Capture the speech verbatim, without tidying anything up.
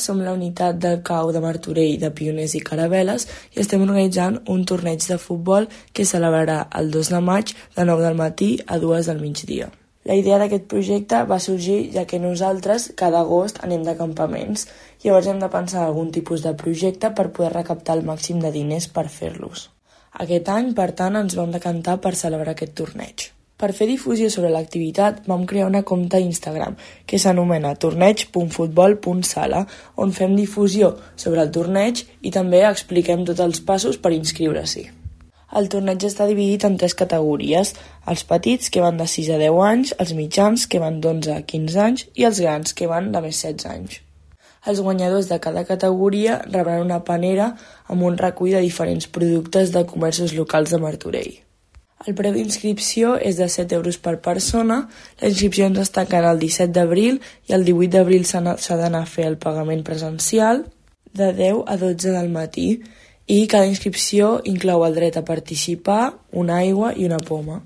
Som la unitat del C A U de Martorell de Pioners i Caravel·les i estem organitzant un torneig de futbol que es celebrarà el dos de maig de nou del matí a dues del migdia. La idea d'aquest projecte va sorgir ja que nosaltres cada agost anem de campaments. Llavors hem de pensar en algun tipus de projecte per poder recaptar el màxim de diners per fer-los. Aquest any, per tant, ens vam decantar per celebrar aquest torneig. Per fer difusió sobre l'activitat vam crear una compte Instagram que s'anomena torneig punt futbol punt sala, on fem difusió sobre el torneig i també expliquem tots els passos per inscriure-s'hi. El torneig està dividit en tres categories: els petits, que van de sis a deu anys, els mitjans, que van d'onze a quinze anys, i els grans, que van de més setze anys. Els guanyadors de cada categoria rebran una panera amb un recull de diferents productes de comerços locals de Martorell. El preu d'inscripció és de set euros per persona. La inscripció ens es tancarà el disset d'abril i el divuit d'abril s'ha d'anar a fer el pagament presencial de deu a dotze del matí i cada inscripció inclou el dret a participar, una aigua i una poma.